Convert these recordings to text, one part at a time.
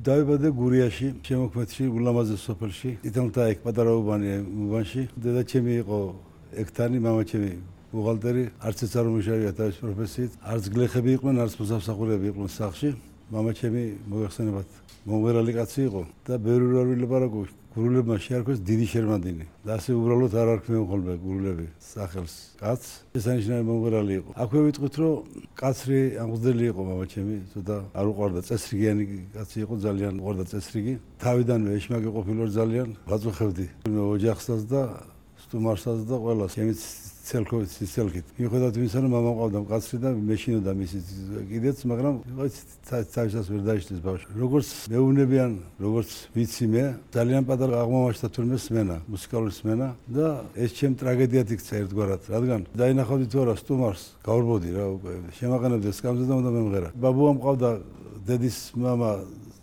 დავიბადე გურიაში, შემოქმედში, ულამაზეს სოფელში. თითქმის ეგ პატარა უბანში. დედაჩემი იყო ექთანი, მამაჩემი ბუღალტერი, არც ეს არ უმუშავია თავის პროფესიით. არც გლეხები იყვნენ, არც მოსამსახურეები იყვნენ სახლში. მამაჩემი მოიხსენებათ მომღერალი კაცი იყო და ბევრი რა ვილაპარაკო. გურულებმა შეარქვეს დიდი შერმანდინი და ასე უბრალოდ არ არქმევენ ხოლმე გურულები სახელს კაცს. ესანიშნავი მომღერალი იყო. აქვე ვიტყვით, რომ კაცრი ამღდელი იყო მამაჩემი, ცოტა არ უყვარდა წესრიგიანი კაცი იყო, ძალიან უყვარდა წესრიგი. თავიდანვე ეშმაკი ყოფილი ვარ ძალიან, ვაწუხებდი მე ოჯახსაც და სტუმარსაც და ყველას. ჩემიც ცელქით. მიუხედავად იმისა, რომ მამა მყავდა მკაცრი და მეშინოდა მისი კიდეც, მაგრამ თავისას ვერ დაიშლის ბავშვი. როგორც მეუბნებიან, როგორც ვიცი მე, ძალიან პატარა აღმომაჩნდა თურმე სმენა, მუსიკალური სმენა და ეს ჩემ ტრაგედიად იქცა ერთგვარად, რადგან დაინახავდი თუ არა სტუმარს, გავარბოდი რა უკვე, შემაყენებდი სკამზე და უნდა მემღერა. ბაბუა მყავდა, დედის მამა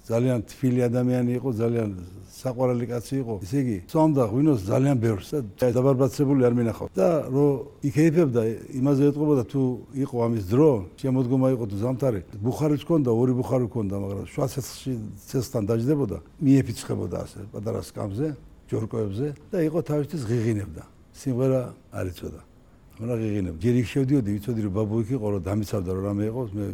ძალიან თბილი ადამიანი იყო, ძალიან საყვარელი კაცი იყო. ისე იგი, სვამდა ღვინოს ძალიან ბევრს და დაბარბაცებული არ მინახავ. და რომ იქეიფებდა, იმაზე ეტყობოდა თუ იყო ამის დრო, შემოდგომა იყო თუ ზამთარი. ბუხარიც ჰქონდა, ორი ბუხარი ჰქონდა, მაგრამ შუა ცეცხლთან დაждდებოდა, მიეფიცხებოდა ასე პატარა სკამზე, ჯორკოებზე და იყო თავისთვის ღიღინებდა. სიმღერა არ იცოდა. მაგრამ ღიღინებდა. ჯერ იქ შევდიოდი, ვიცოდი რომ ბაბუ იქ იყო, რომ დამიცავდა რომ რამე იყო, მე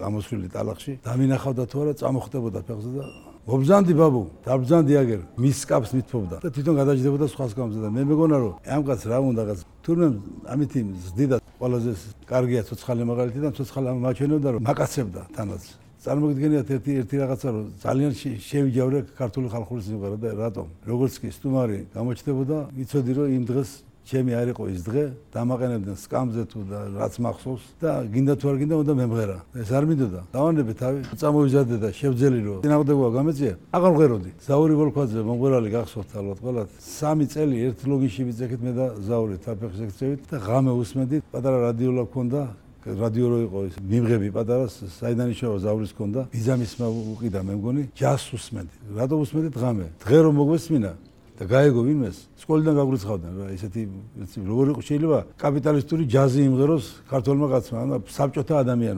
ამოსვლილი ტალახში. დამინახავდა თუ არა, წამოხდებოდა ფეხზე და მობზანდი ბაბუ, დაბზანდი აგერ, მის სკაფს მithფობდა და თვითონ გადაჯდებოდა სხვა სკამზე და მე მეგონა რომ ამ კაც რა უნდა რაღაც. თურმე ამითი ზდიდა ყველაზე კარგია ცოცხალი მაგალითი და ცოცხალი მაჩვენებდა რომ მაკაცებდა თანაც. წარმოგიდგენიათ ერთი რაღაცა რომ ძალიან შევიჯავრე ქართული ხალხური სიმღერა და რატომ? როგორც კი სტუმარი გამოჩნდებოდა, ვიცოდი რომ იმ დღეს ჩემი არ იყო ის დღე, დამაყენებდნენ სკამზე თუ და რაც მახსოვს და გინდა თუ არ გინდა უნდა მემღერა. ეს არ მინდოდა. დავანებე თავი, წამოვიზარდე და შევძელი რომ წინააღმდეგობა გამეწია, აღარ მღეროდი. ზაური ვოლქვაძე მომღერალი გახსოვთ ალბათ ყველათ. 3 წელი ერთ ლოგიში ვიძახით მე და ზაური თაფეხს ეკცევით და ღამე უსმენდით. პატარა რადიოლა გქონდა, რადიო რო იყო ის მიმღები პატარა, საიდან ისევა ზავრის გქონდა. ბიძამისმა უყიდა მე მგონი, ჯას უსმენდი. რატო უსმენდით ღამე? დღე რომ მოგვესმინა და გაეგო ვინმეს სკოლიდან გაგვრიცხავდნენ რა ესეთი როგორ შეიძლება კაპიტალისტური ჯაზი იმღეროს ქართველმა კაცმა და საბჭოთა ადამიანმა